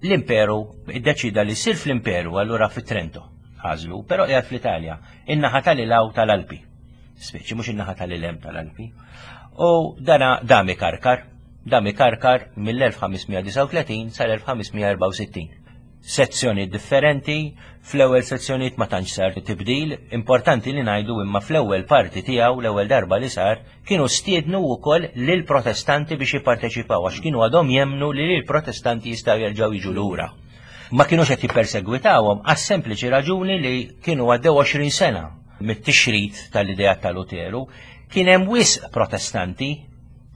l-Imperu iddeċida li jsir fl-Imperu allura fit Trento għażlu, però qiegħed fl-Italja in-naħa tal-ilaw tal-Alpi. Speċi mhux in-naħa tal-ilem tal-Alpi. U dana dami karkar, dami karkar mill-1539 sal-1564. Sezzjoni differenti, fl-ewwel sezzjonijiet ma tantx sar tibdil, importanti li ngħidu imma fl-ewwel parti tiegħu l-ewwel darba li sar kienu stiednu wkoll lil protestanti biex jipparteċipaw għax kienu għadhom jemnu li l-protestanti jistgħu jerġgħu jiġu lura. Ma kinux qed jippersegwitawhom għas-sempliċi raġuni li kienu għaddew 20 sena mit-tixrid tal-ideat ta' Luteru, kien hemm wisq Protestanti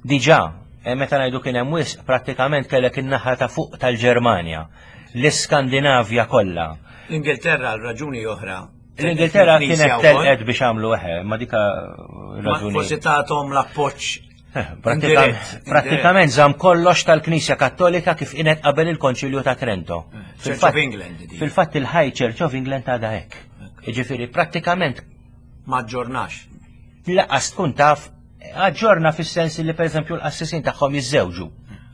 diġà, e meta ngħidu kien hemm wisq prattikament kellek in-naħa ta' fuq tal-Ġermanja, l-Iskandinavja kollha. L-Ingilterra għal raġuni oħra. L-Ingilterra kienet telqet biex għamlu eħe, ma dika raġuni. Forsi tagħthom l-appoġġ Eh, pratikament żamm kollox tal-Knisja Kattolika kif kienet qabel il-Konċilju ta' Trento. Eh, fil-fatt il-High Church of England għadha hekk. Jiġifieri prattikament ma ġġornax. Laqas tkun taf aġġorna fis-sens li pereżempju l-qassisin tagħhom jiżżewġu.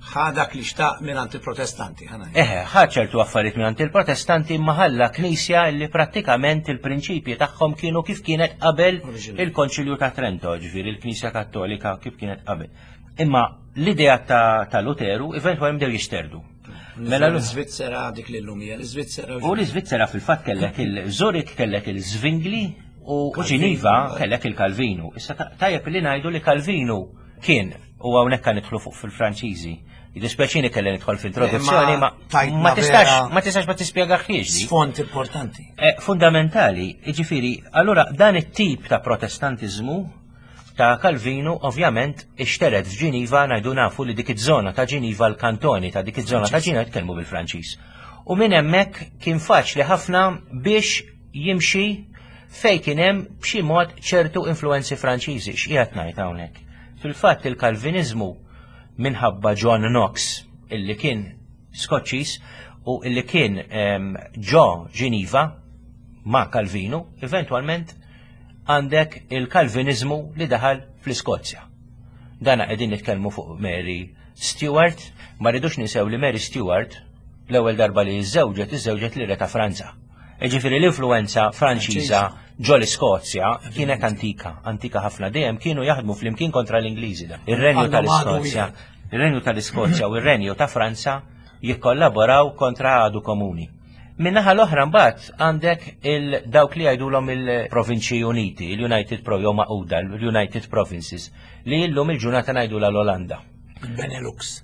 Ħa dak li xtaq mingħand il-Protestanti, ħa ngħid. Eħe, ħa ċertu affarijiet mingħand il-Protestanti imma ħalla Knisja li prattikament il-prinċipji tagħhom kienu kif kienet qabel il-Konċilju ta' Trento, ġifieri l-Knisja Kattolika kif kienet qabel. Imma l-idea ta' Luteru eventwalment bdew jixterdu. Mela l-Iżvizzera dik li llum hija l-Iżvizzera. U l-Iżvizzera fil-fatt kellek il-Zurich kellek il-Zwingli u Ġiniva kellek il-Kalvinu. Issa tajjeb li ngħidu li Kalvinu kien U hawnhekk nidħlu fuq fil-Franċiżi. Jiddispjaċini kelli nidħol fl-introduzzjoni, ma ma tistax ma tistax ma tispjegaħiex. Sfond importanti. Eh, fundamentali, jiġifieri, allura dan it-tip ta' protestantiżmu ta' Calvinu ovvjament ixteret f'Ġiniva ngħidu nafu li dik iż-żona ta' Ġiniva l-kantoni ta' dik iż-żona ta' Ġiniva jitkellmu bil-Franċiż. U minn hemmhekk kien faċli ħafna biex jimxi fejn kien hemm b'xi mod ċertu influenzi Franċiżi. X'qiegħed ngħid hawnhekk? Fil-fatt il-Kalviniżmu minħabba John Knox illi kien Skoċċiż u illi kien ehm, ġo Ġiniva ma' Calvinu, eventwalment għandek il-Kalviniżmu li daħal fl-Iskozja. Dana qegħdin nitkellmu fuq Mary Stuart, ma rridux ninsew li Mary Stuart l-ewwel darba li żżewġet iżżewġet li re ta' Franza. Jiġifieri l-influwenza Franċiża ġo l-Iskozja kienet antika, antika ħafna dejjem kienu jaħdmu flimkien kontra l-Ingliżi da. Ir-Renju tal-Iskozja, ir-Renju tal-Iskozja u r-Renju ta' Franza jikkollaboraw kontra għadu komuni. Min-naħa l-oħra mbagħad għandek il-dawk li jgħidulhom il-Provinċi Uniti, il-United Pro jew Maquda, l-United Provinces, li llum il-ġurnata ngħidulha l-Olanda. Il-Benelux.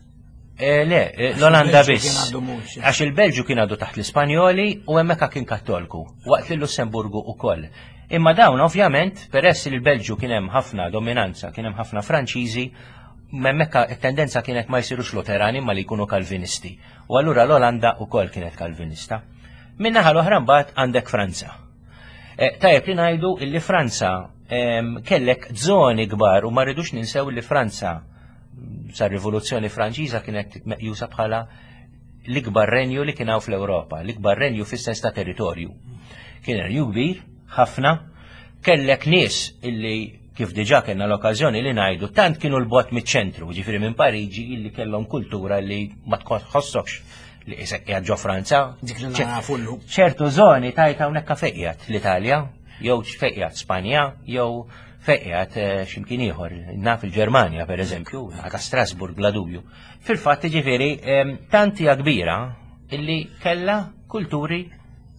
Eh, le, eh, l-Olanda biss. Għax il-Belġu kien għadu taħt l-Ispanjoli u hemmhekk kien Kattolku, waqt li l-Lussemburgu ukoll. Imma dawn ovvjament, peress li l-Belġju kien hemm ħafna dominanza, kien hemm ħafna Franċiżi, hemmhekk it-tendenza kienet ma jsirux Luterani imma li jkunu Kalvinisti. U allura l-Olanda wkoll kienet Kalvinista. Min-naħa l-oħra mbagħad għandek Franza. Eh, tajjeb li ngħidu illi Franza ehm, kellek żoni kbar u ma rridux ninsew li Franza sa rivoluzzjoni Franċiża kienet meqjusa bħala l-ikbar renju li kien hawn fl-Ewropa, l-ikbar renju fis-sens ta' territorju. Kien renju kbir, ħafna, kellek nies illi kif diġà kellna l-okkażjoni li ngħidu tant kienu l-bot miċ-ċentru, ġifieri minn Pariġi illi kellhom kultura li ma tħossokx li isek qiegħed ġo Franza. Dik li nafu llum. Ċertu żoni tajt hawnhekk fejn qiegħed l-Italja, jew fejn qiegħed Spanja, jew fejn qiegħed eh, x'imkien ieħor, naf il-Ġermanja pereżempju, ta' Strasburg bla dubju. Fil-fatt ġifieri tant hija kbira illi kellha kulturi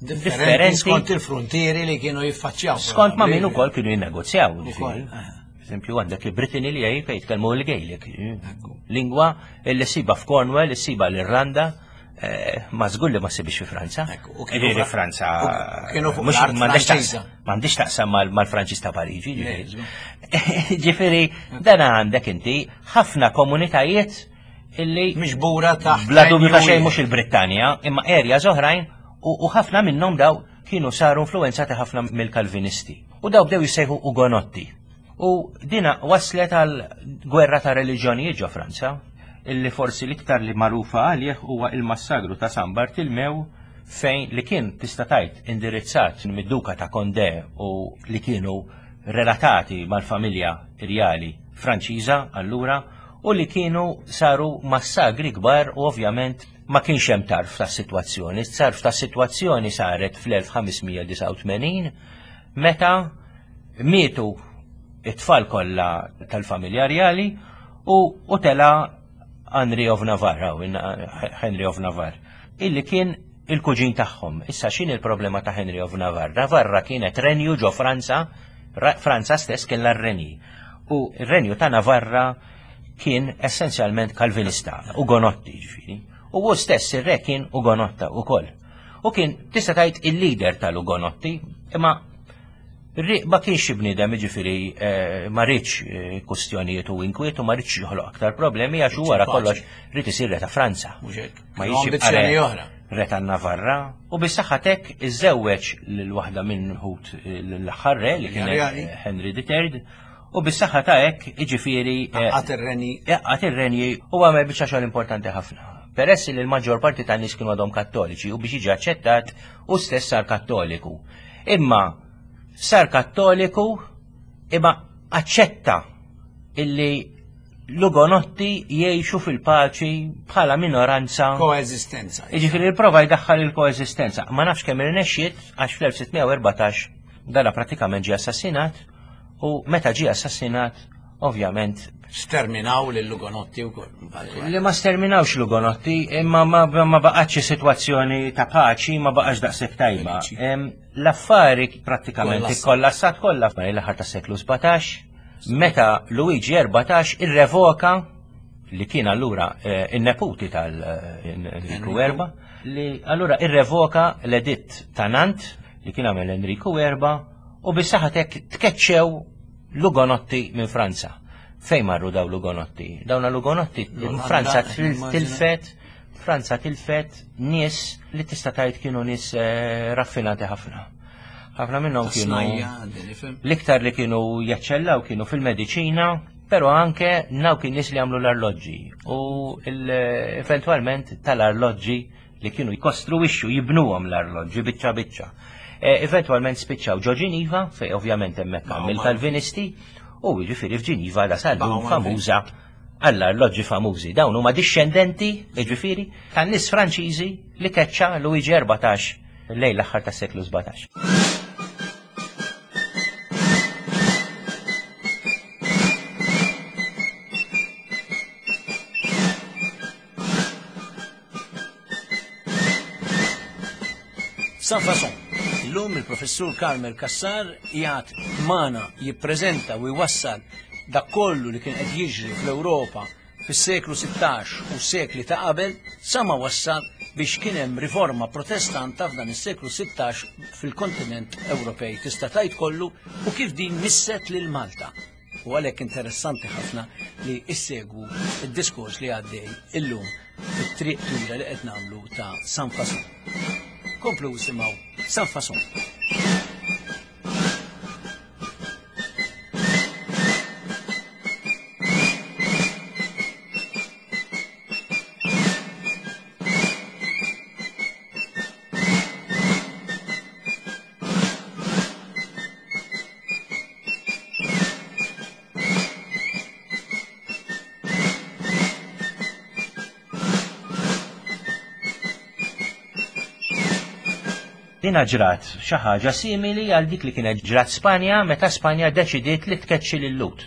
differenti skont il-frontieri li kienu jiffaċċjaw. Skont ma' min ukoll kienu jinnegozjaw. Eh. Eżempju għandek il-Brittany li jgħid fejn jitkellmu l-Gaelic. Lingwa li ssiba f'Cornwall, issiba l-Irlanda, eh, ma żgur li ma ssibix fi Franza. Ġifieri Franza. Kienu fuq M'għandix taqsam mal-Franċiż ta' Pariġi. Ġifieri dan għandek inti ħafna komunitajiet illi miġbura taħt. Bla dubju ta' xejn mhux il-Brittanja, imma areas oħrajn u ħafna minnhom daw kienu saru influenzati ħafna mill-Kalvinisti. U daw bdew jissejħu Ugonotti. U dina waslet għal gwerra ta' reliġjonijiet ġo Franza, illi forsi l-iktar li magħrufa għalih huwa il-massagru ta' San Bartilmew fejn li kien tista' tgħid indirizzat mid-Duka ta' Condé u li kienu relatati mal-familja rjali Franċiża allura u li kienu saru massagri kbar u ovvjament ma kienx hemm tarf tas-sitwazzjoni. Tarf tas-sitwazzjoni saret fl-1589 meta mietu it-tfal kollha tal-familja rjali u, u tela Henry of Navarre, Henry of Navarre, illi kien il-kuġin tagħhom. Issa x'in il-problema ta' Henry of Navarre? Navarra kienet renju ġo Franza, Franza stess kellha r-renji. U r-renju ta' Navarra kien essenzjalment Kalvinista, Ugonotti ġifieri. U hu stess ir-re kien Ugonotta ukoll. U kien tista' tgħid il-leader tal-Ugonotti, imma ma kienx xi bniedem jiġifieri eh, ma rridx eh, kustjonijiet u inkwiet u ma rridx joħloq aktar problemi għax wara kollox rrid isir re ta' Franza. Ma jiġi oħra. Re ta' Navarra u bis-saħħa tek iżewweġ lil waħda minn ħut eh, l-aħħar re li kien Henry III u bis-saħħa ta' hekk jiġifieri Għat ir-renji. Għat ir-renji u għamel biċċa xogħol importanti ħafna. Peress li l-maġġor parti tan nies kienu għadhom kattoliċi u biex jiġi aċċettat u stess sar kattoliku. Imma sar kattoliku imma aċċetta illi l-Ugonotti jgħixu fil-paċi bħala minoranza. Koeżistenza. Jiġifieri prova jdaħħal il-koeżistenza. Ma nafx kemm irnexxiet għax fl-1614 dana pratikament ġie assassinat u meta ġie assassinat ovvjament Sterminaw lill-Ugonotti wkoll. Li ma sterminawx l-Ugonotti, imma ma, ma baqgħetx sitwazzjoni ta' paċi, ma baqgħax daqshekk tajba. L-affari prattikament ikkollassat kollha fl-aħħar tas-seklu 17, meta Luigi 14 irrevoka li kien allura eh, in-neputi tal-Enriku Erba, li allura irrevoka l-editt ta' Nant li kien għamel Enriku Erba u bis-saħatek tkeċċew Lugonotti minn Franza. Fejn marru daw Lugonotti? Dawna Lugonotti Franza tilfet Franza tilfet nies li tista' tgħid kienu nies eh, raffinati ħafna. Ħafna minnhom kienu l-iktar li kienu jaċċellaw kienu fil-mediċina, però anke naw kien nies li għamlu l-arloġġi u eventwalment tal-arloġġi li kienu jkostruwixxu jibnuhom l-arloġġi biċċa biċċa. E, eventwalment spiċċaw ġo Ġiniva, fej ovvjament hemmhekk hemm il-Kalvinisti, u jiġifieri f'Ġiniva la sal-lum famuża għall-arloġġi famużi. Dawn huma dixxendenti, jiġifieri, tan-nies Franċiżi li keċċa Luigi 14 lejn l-aħħar tas-seklu 17. San Fason. Illum il-professur Carmel Cassar jgħat mana jippreżenta u jwassal dak kollu li kien qed jiġri fl-Ewropa fis-seklu 16 u sekli ta' qabel sa ma wassal biex kien hemm riforma protestanta f'dan is-seklu 16 fil-kontinent Ewropej tista' tgħid kollu u kif din misset lil Malta. U għalhekk interessanti ħafna li issegwu id-diskors li għaddej illum fit-triq twila li qed nagħmlu ta' San Fason. Komplu isimgħu San Fason. Dina ġrat xi ħaġa simili għal dik li kienet ġrat Spanja meta Spanja deċidiet li tkeċċi lil Lut.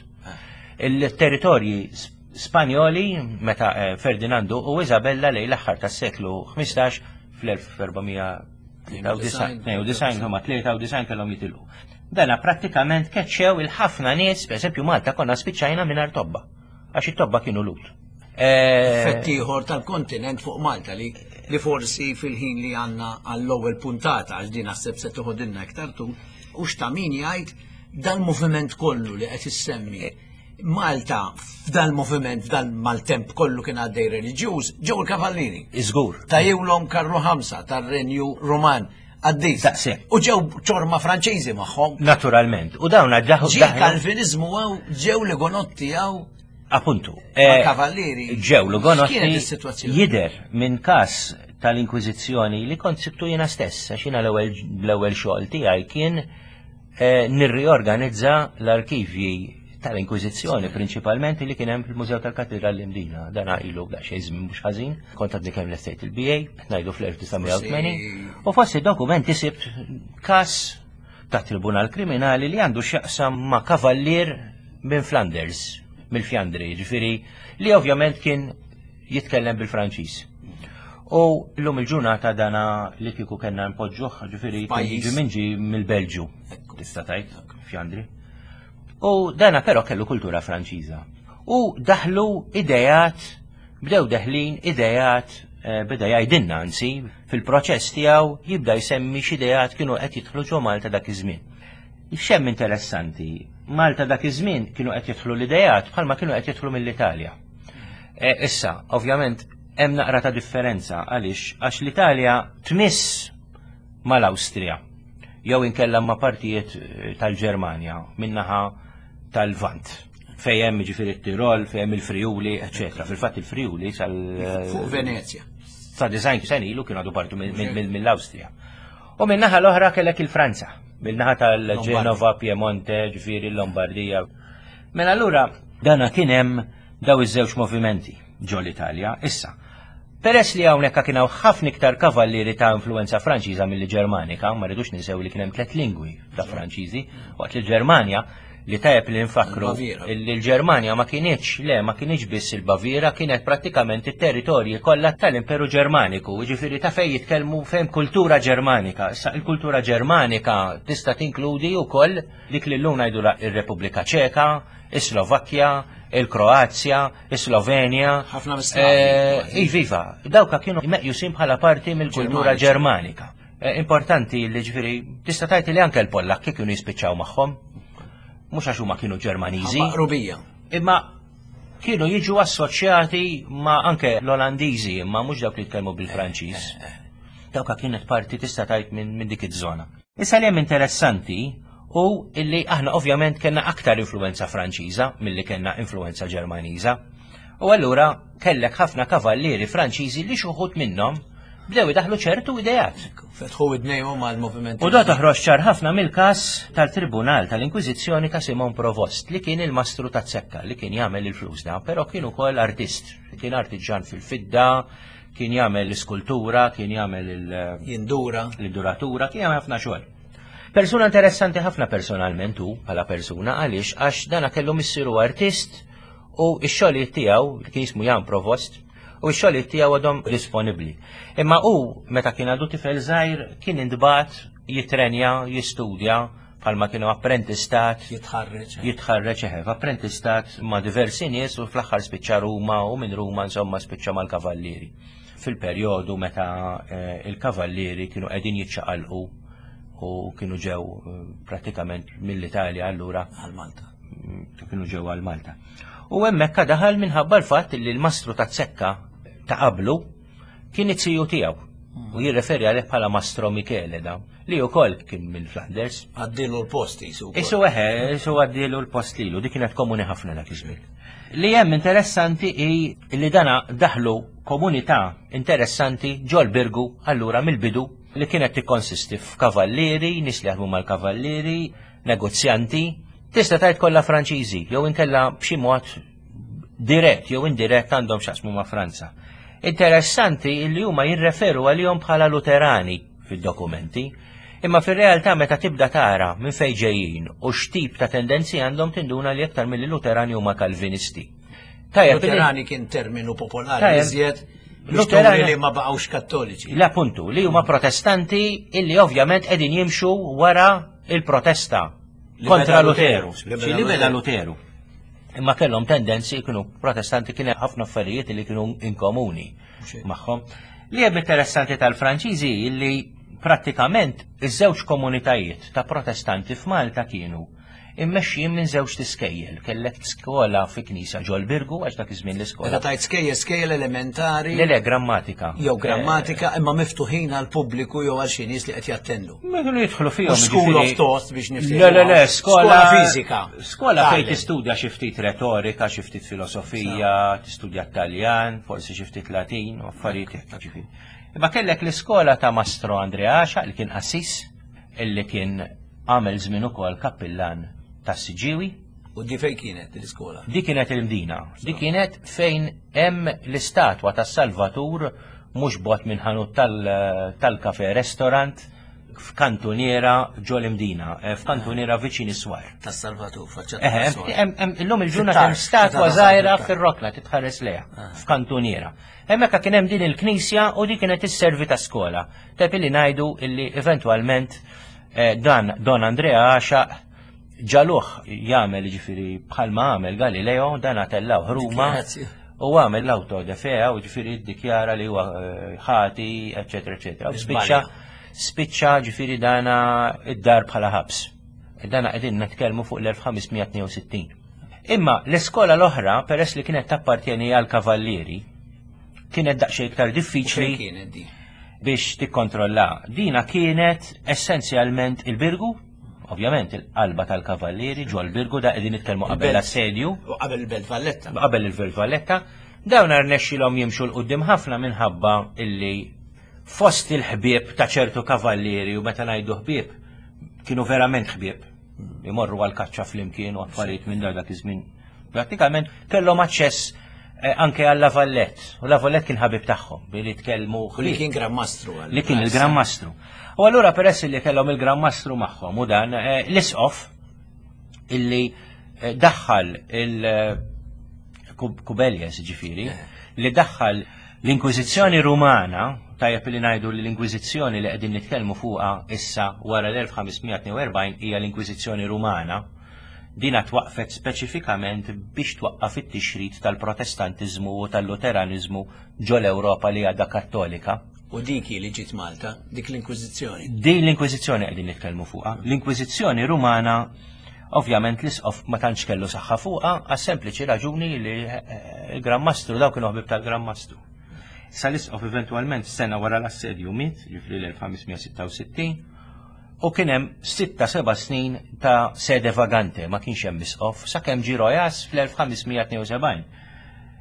Il-territorji Spanjoli meta eh, Ferdinandu u Isabella lejn l-aħħar tas-seklu 15 fl-1400 92 huma 93 kellhom jitilqu. Dana prattikament keċċew il-ħafna nies, pereżempju Malta konna spiċċajna mingħajr tobba, għax it-tobba kienu lut. Eh, Effett ieħor tal-kontinent fuq Malta li li forsi fil-ħin li għandna għall-ewwel puntata għax din naħseb se toħodilna iktar tul, u x'ta' min jgħid dal-moviment kollu li qed issemmi Malta f'dal-moviment, f'dal-maltemp kollu kien għaddej reliġjuż, ġew il-Kavallieri. Iżgur. Tajjewlhom Karlu Ħamsa tar-Renju Ruman għaddej. Daqshekk. U ġew ċorma Franċiżi magħhom. Naturalment. U dawn għaddaħu. Ġie Kalvinizmu għaw, ġew l-Gonotti għaw. Appuntu. Eh, Kavallieri. Ġew l-Gonotti. Jider minn kas tal-Inkwiżizzjoni li kont sibtu jiena stess, għax jiena l-ewwel xogħol tiegħi kien Eh, nirriorganizza l-arkivji tal-Inkwiżizzjoni prinċipalment li kien hemm fil-Mużew tal-Katedral l-Imdina. Dan ilu daqsxejn żmien mhux ħażin, kont għadni kemm lestejt il-BA, ngħidu fl-1980, u fost id-dokumenti sibt każ ta' Tribunal Kriminali li għandu x'jaqsam ma' kavallier minn Flanders, mill-Fjandri, ġifieri li ovvjament kien jitkellem bil-Franċiż. U l-lum il-ġurnata dana li kieku kellna npoġġuh, ġifieri ġi minn ġi mill-Belġju, tista' tgħid, Fjandri. U dana però kellu kultura Franċiża. U daħlu idejat, bdew deħlin idejat eh, beda jgħidilna anzi fil-proċess tiegħu jibda jsemmi x'idejat kienu qed jidħlu ġo Malta dak iż-żmien. X'hemm interessanti, Malta dak iż-żmien kienu qed jidħlu l-idejat bħalma kienu qed jidħlu mill-Italja. E, issa, ovvjament, hemm naqra ta' differenza għaliex għax l-Italja tmiss mal-Awstrija jew inkella ma' partijiet eh, tal-Ġermanja minnaħa tal-Vant fejn hemm ġifieri t-Tirol, fejn hemm il-Friuli, eċetera. Fil-fatt il-Friuli sal Fuq Venezja. Sa design sen ilu kienu għadu partu mill-Awstrija. U minnaħa l-oħra kellek il-Franza, minnaħa tal-Ġenova, Piemonte, ġifieri l-Lombardija. Mela allura dana kien hemm daw iż-żewġ movimenti ġo l-Italja. Issa, peress li hawnhekk kien hawn ħafna iktar kavallieri ta' influenza Franċiża milli Ġermanika, ma rridux ninsew li kien hemm tliet lingwi ta' Franċiżi, waqt li l-Ġermanja li tajjeb li nfakru li l-Ġermanja ma kinitx, le, ma kinitx biss il-Baviera, kienet prattikament it-territorji kollha tal-Imperu Ġermaniku, jiġifieri ta' fejn jitkellmu fejn kultura Ġermanika. Issa il-kultura Ġermanika tista' tinkludi wkoll dik li llum ngħidulha ir-Repubblika Ċeka, is-Slovakkja, il-Kroazja, is-Slovenja. Ħafna eh, Iviva, dawka kienu meqjusin bħala parti mill-kultura Ġermanika. Eh, importanti li ġifieri tista' tgħid li anke l-Pollakki kienu jispiċċaw magħhom. Mhux għax huma kienu Ġermaniżi. Rubija. Imma kienu jiġu assoċjati ma' anke l-Olandiżi, imma mhux dawk li jitkellmu bil-Franċiż. Eh, Dawka kienet parti tista' tgħid minn dik iż-żona. Issa li hemm interessanti hu illi aħna ovvjament kellna aktar influwenza Franċiża milli kellna influwenza Ġermaniża. U allura kellek ħafna kavallieri Franċiżi li xi wħud minnhom bdew idaħlu ċertu ideat. Fetħu idnejhom għal moviment. U da toħroġ ċar ħafna mill-każ tal-Tribunal tal-Inkwiżizzjoni ta' Simon Provost li kien il-mastru ta' Zekka li kien jagħmel il-flus da, però kien ukoll artist, kien artiġan fil-fidda, kien jagħmel l-iskultura, kien jagħmel il- Jindura. L-induratura, kien jagħmel ħafna xogħol. Persuna interessanti ħafna personalment hu bħala persuna għaliex għax dana kellu missieru artist u x-xogħlijiet tiegħu li kien jismu Jan Provost u x-xogħlijiet tiegħu għadhom disponibbli. Imma hu meta kien għadu tifel żgħir kien intbagħat jitrenja, jistudja bħalma kienu apprentistat. Jitħarreġ. Jitħarreġ eħe, apprentistat ma' diversi nies u fl-aħħar spiċċa Ruma u minn Ruma insomma spiċċa mal-kavallieri. fil-perjodu meta eh, il-kavallieri kienu qegħdin jiċċaqalqu u kienu ġew eh, pratikament mill-Italja allura għal Malta. Mm, kienu ġew għal Malta. U hemmhekk daħal minħabba l-fatt li l-mastru ta' Zekka ta' qablu kien it-tiju tiegħu u jirreferi għalih bħala Mastro Michele da, li wkoll kien mill-Flanders. Għaddilu l-post jisu. Isu eħe, isu għaddilu l-post lilu, dik kienet komuni ħafna dak iż-żmien. Li hemm interessanti hi li dana daħlu komunità interessanti ġol Birgu allura mill-bidu li kienet tikkonsisti f'kavallieri, nies li jaħdmu mal-kavallieri, negozjanti, tista' tgħid kollha Franċiżi jew inkella b'xi mod dirett jew indirett għandhom x'jaqsmu ma' Franza. Interessanti li huma jirreferu għalihom bħala Luterani fid-dokumenti, imma fir-realtà meta tibda tara minn fejn ġejjin u x'tip ta' tendenzi għandhom tinduna li aktar milli Luterani huma Kalvinisti. Tajjeb, Luterani kien terminu popolari iżjed Luterani li ma baqgħux kattoliċi. La puntu, li huma protestanti illi ovvjament qegħdin jimxu wara il-protesta kontra Luteru. Li beda Luteru. Imma kellhom tendenzi kienu protestanti kien ħafna affarijiet li kienu inkomuni magħhom. Li hemm interessanti tal-Franċiżi li prattikament iż-żewġ komunitajiet ta' protestanti f'Malta kienu immexxijin minn żewġ tiskejjel. Kellek skola fi knisa ġol Birgu għax dak iż-żmien l-iskola. Meta tajt skejjel skejjel elementari. Le le grammatika. Jew grammatika imma miftuħin għal pubbliku jew għal xi nies li qed jattendu. Ma kienu jidħlu fihom. School of thought biex niftehmu. Le le le, skola fiżika. Skola fejn tistudja xi ftit retorika, xi ftit filosofija, tistudja Taljan, forsi xi ftit Latin, u affarijiet hekk ġifieri. Imma kellek l-iskola ta' Mastro Andrea Għaxaq li kien qassis, illi kien għamel żmien ukoll kappillan tas-Siġġiewi. U di fejn kienet l-iskola? Di kienet il-Mdina. Di kienet fejn hemm l-istatwa tas-Salvatur mhux bogħod minn ħanut tal-kafe restaurant f'kantuniera ġol imdina, eh, f'kantuniera viċin is-swar. Tas-Salvatur, faċċata. Eh, illum il-ġurnata hemm statwa żgħira fir-rokna titħares lejha ah. f'kantuniera. Hemmhekk kien hemm din il-knisja u di kienet isservi ta' skola. Tajjeb illi ngħidu illi eventwalment eh, dan Don Andrea Għaxaq ġaluh jagħmel ġifieri bħalma għamel Galileo dan għatellaw Ruma u għamel l-auto de fea u ġifieri ddikjara li huwa eh, ħati, eċetera, eċetera. U spiċċa spiċċa ġifieri dana id-dar bħala ħabs. Dana qegħdin nitkellmu fuq l-1562. Imma l-iskola l-oħra, peress li kienet tappartjeni għal kavallieri, kienet daqsxejn iktar diffiċli biex tikkontrolla. Dina kienet essenzjalment il-Birgu, ovvjament il-qalba tal-Kavallieri ġol Birgu da qegħdin nitkellmu qabel l-assedju. Qabel il-Belt Valletta. Qabel il-Belt Valletta. Dawn rnexxilhom jimxu l qudiem ħafna minħabba illi fost il-ħbieb ta' ċertu kavallieri u meta ngħidu ħbieb kienu verament ħbieb. Imorru għal kaċċa flimkien u affarijiet minn dak iż-żmien Prattikament kellhom aċċess eh, anke għal Lavallet. U Lavallet kien ħabib tagħhom billi tkellmu. Li kien Gran Mastru. Li kien il-Gran Mastru. U allura peress li kellhom il-Gran Mastru magħhom u dan eh, l-isqof illi eh, daħħal il-Kubeljes ġifiri, li daħħal l-Inkwiżizzjoni Rumana, tajjeb li ngħidu li l-Inkwiżizzjoni li qegħdin nitkellmu fuqha issa wara l-1542 hija l-Inkwiżizzjoni Rumana, Dina twaqqfet speċifikament biex twaqqaf it-tixrid tal-Protestantiżmu u tal-Luteraniżmu ġol-Ewropa li għadha Kattolika. U dik hi li ġiet Malta, dik l-Inkwiżizzjoni. Din l-Inkwiżizzjoni qegħdin nitkellmu fuqha. L-Inkwiżizzjoni Rumana ovvjament l-isqof ma tantx kellu saħħa fuqha għas-sempliċi raġuni li eh, il-Gran Mastru daw kienu ħbib tal-Gran Mastru. Sa l-isqof eventwalment sena wara l-assedju miet, ġifri l-1566, U kien hemm sitta seba' snin ta' sede vagante, ma kienx hemm isqof, sakemm ġie Rojas fl-1572.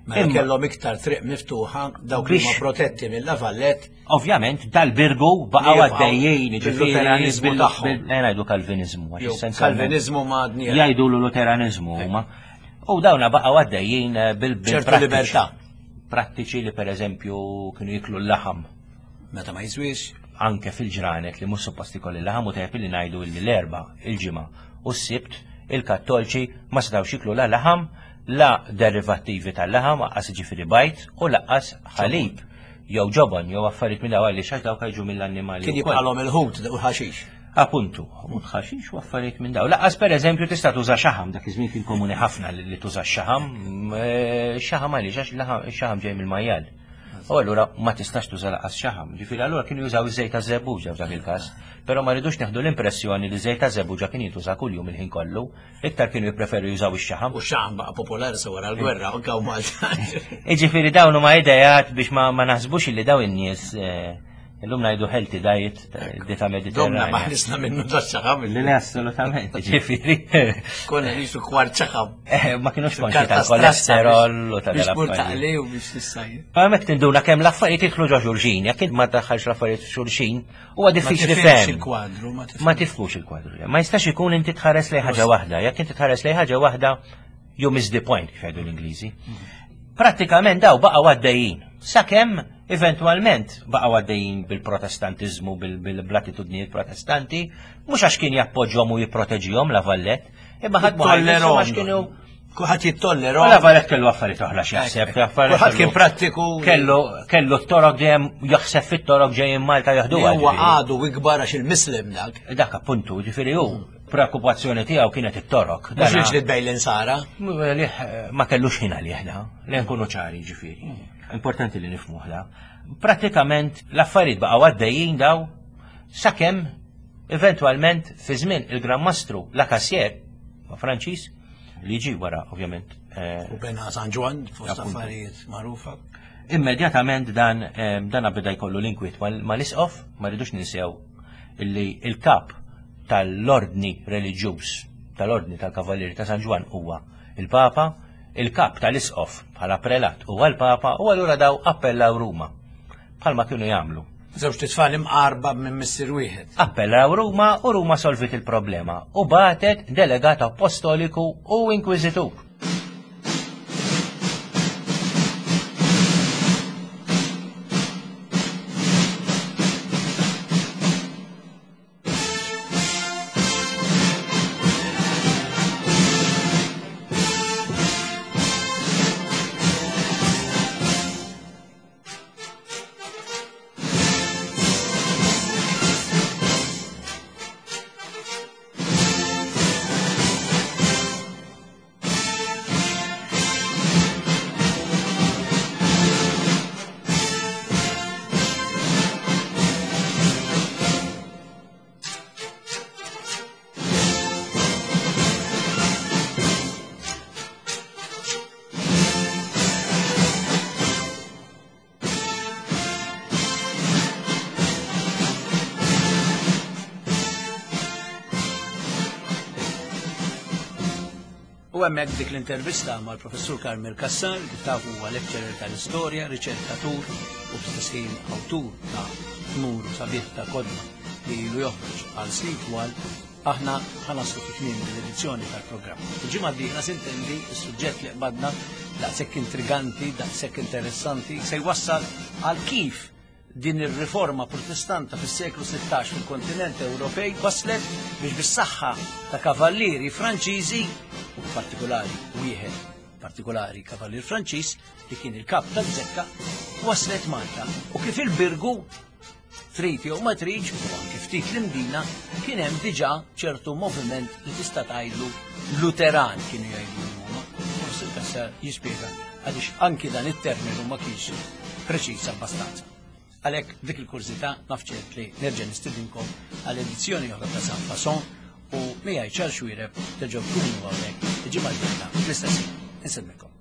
Mela kellhom iktar triq miftuħa dawk li huma protetti mill-Lavallet. Ovvjament dal-Birgu baqgħu għaddejjin ġifieri tagħhom. Ngħidu Kalviniżmu. Kalviniżmu ma għadni. Jgħidu Luteraniżmu huma. U dawna baqgħu għaddejjin eh, bil-ċertu libertà. Prattiċi li pereżempju kienu jiklu l-laħam. Meta ma jiswiex. Anke fil-ġranet li mhux suppost ikolli laħam u tajjeb li ngħidu illi l-Erbgħa, il-Ġimgħa u s-Sibt il-Kattolċi ma setgħux jiklu la laħam, la derivattivi tal-laħam, aqqas jiġifieri bajd u laqqas ħalib jew ġobon jew affarijiet minn dawn għaliex għax dawk jiġu mill-annimali. Kien jibqalhom il-ħut u l-ħaxix. Appuntu, ħut ħaxix u affarijiet minn dawn. Laqqas pereżempju tista' tuża xaħam, dak iż-żmien kien komuni ħafna li tuża x-xaħam. Eh, xaħam għaliex għax xaħam ġej mill-majjal. U allura ma tistax tuża laqas xaħam. Ġifieri allura kienu jużaw iż-żejt ta' żebbuġa f'dak il-każ. Però ma rridux neħdu l-impressjoni li żejt ta' żebbuġa kien jintuża kuljum il-ħin kollu. Iktar kienu jippreferu jużaw ix-xaħam. U x-xaħam baqa' popolari sa wara l-gwerra, anke hawn Malta. Jiġifieri dawn huma ideat biex ma naħsbux illi dawn in-nies eh, Illum ngħidu healthy diet, dieta mediterranja. Domna ma ħlisna minnu da xaħam. Le, assolutament, ġifieri. Konna nisu kwart xaħam. Eh, ma kienux konxi tal-kolesterol u tal Biex taqli u biex tissajja. Ma mek tinduna kemm l-affarijiet jidħlu ġo xulxin, jekk int ma daħħalx l-affarijiet xulxin, huwa diffiċli fehm. il-kwadru, ma tifhmux il-kwadru. Ma jistax ikun inti tħares lejn ħaġa waħda, jekk inti tħares lejn ħaġa waħda, you miss the point kif jgħidu l-Ingliżi. Mhm. Prattikament daw baqgħu għaddejjin. Sakemm eventwalment baqgħu għaddejjin bil-protestantiżmu, bil-blatitudnijiet protestanti, mhux għax kien jappoġġhom u jipproteġihom la Vallett, imma ħadd tollerhom kienu Kulħadd jittollera. La Vallett kellu affarijiet oħra x'jaħseb, Kulħadd kien prattiku. Kellu kellu t-torok dejjem jaħseb fit-torok ġejjin Malta jaħdu. Huwa għadu ikbar għax il-Mislem dak. Dak appuntu, ġifieri hu preokkupazzjoni tiegħu kienet it-torok. Mhux il-ġlied bejn l-insara. Ma kellux ħin għalih da, li nkunu ċari ġifieri. Importanti li nifhmuh da. Prattikament l-affarijiet baqgħu għaddejjin daw sakemm eventwalment fi żmien il-Gran Mastru La Cassier, ma Franċiż, li ġi wara ovvjament. Eh, U bena San Ġwann fost affarijiet magħrufa. Immedjatament dan eh, dan beda jkollu l-inkwiet mal-isqof, ma rridux ninsew illi il-kap tal-ordni reliġjuż tal-ordni tal-Kavallieri ta' San Ġwann huwa il-Papa, il-kap tal-isqof bħala prelat huwa l-Papa u allura daw appellaw Ruma bħalma kienu jagħmlu. Żewġt itfal imqarba minn missier wieħed. Appellaw Ruma u Ruma solvit il-problema u bagħtet delegat appostoliku u inkwiżitur. U hemmhekk dik l-intervista mal-Professur Carmel Cassar, kif tafu huwa lecturer tal-istorja, riċerkatur u fl-istess ħin awtur ta' numru sabiħ ta' kodba li ilu joħroġ għal snin twal, aħna ħanaslu fi tmiem l-edizzjoni tal-programm. Il-ġimgħa d-dieħla sintendi s-suġġett li qbadna daqshekk intriganti, daqshekk interessanti, se jwassal għal kif din ir-riforma protestanta fis-seklu 16 fil-kontinent Ewropej waslet biex bis-saħħa ta' kavallieri Franċiżi, u partikolari wieħed partikolari kavallier Franċiż li kien il-kap tal-Zekka, waslet Malta u kif il-Birgu trid jew ma tridx u anke ftit l-Imdina kien hemm diġà ċertu moviment li tista' tgħidlu Luteran kienu jgħidu huma. Forsi l-Cassar jispjega għaliex anki dan it-terminu ma kienx preċiż abbastanza. Għalhekk dik il-kurżità naf ċert li nerġa' nistidinkom għal edizzjoni oħra ta' San Fason u miegħi Charles Xuereb terġgħu tkunu hawnhekk il-ġimgħa d-dieħla fl-istess ħin. Insellmilkom.